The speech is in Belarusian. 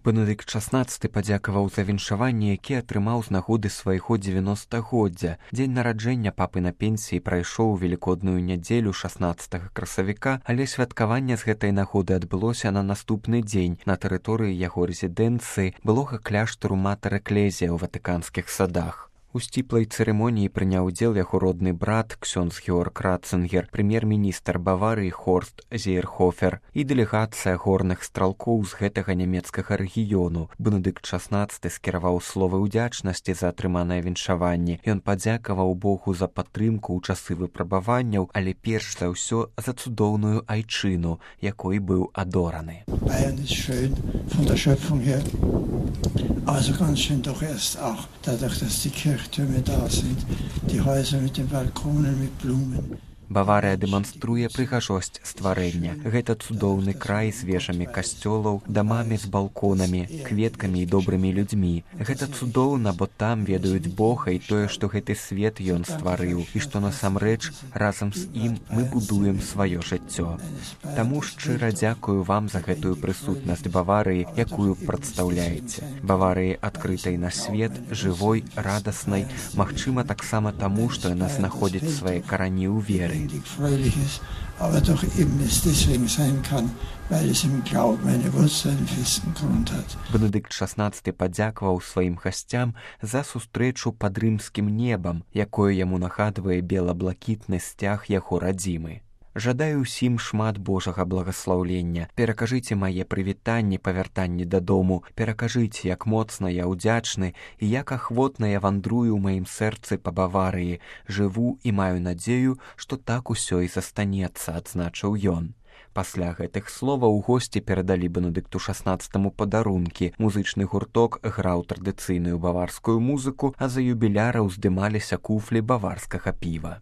Бенедыкт XVI падзякаваў за віншаванне, які атрымаў з нагоды свайго 90-годдзя. Дзень нараджэння папы на пенсіі прайшоў у велікодную нядзелю 16 красавіка, але святкаванне з гэтай нагоды адбылося на наступны дзень на тэрыторыі яго рэзідэнцыі былога кляштару Матэр Экклезія ў Ватыканскіх садах. У сціплай цырымоніі прыняў удзел яго родны брат, ксёндз Георг Ратцингер, прэм'ер-міністр Баварыі Хорст Зейерхофер і дэлегацыя горных стралкоў з гэтага нямецкага рэгіёну. Бенедыкт XVI скіраваў словы ўдзячнасці за атрыманае віншаванне. Ён падзякаваў Богу за падтрымку ў часы выпрабаванняў, але перш за ўсё за цудоўную айчыну, якой быў адораны. Also ganz schön doch erst auch dadurch, dass die Kirchtürme da sind, die Häuser mit den Balkonen mit Blumen. Баварыя дэманструе прыгажосць стварэння. Гэта цудоўны край з вежамі касцёлаў, дамамі з балконамі, кветкамі і добрымі людзьмі. Гэта цудоўна, бо там ведаюць Бога і тое, што гэты свет ён стварыў, і што насамрэч разам з ім мы будуем сваё жыццё. Таму шчыра дзякую вам за гэтую прысутнасць Баварыі, якую прадстаўляеце. Баварыі адкрытай на свет, жывой, радаснай, магчыма таксама таму, што яна знаходзіць свае карані ў веры. Fröhliches, aber doch eben es deswegen sein kann, weil es im Glauben eine Wurzel, einen festen Grund hat. Бенедыкт XVI падзякаваў сваім гасцям за сустрэчу пад рымскім небам, якое яму нагадвае бела-блакітны сцяг яго радзімы. Жадаю ўсім шмат Божага благаслаўлення. Перакажыце мае прывітанні па вяртанні дадому, перакажыце, як моцна я ўдзячны і як ахвотна я вандрую ў маім сэрцы па Баварыі, жыву і маю надзею, што так усё і застанецца, адзначыў ён. Пасля гэтых словаў госці перадалі Бенедыкту XVI падарункі. Музычны гурток граў традыцыйную баварскую музыку, а за юбіляра ўздымаліся куфлі баварскага піва.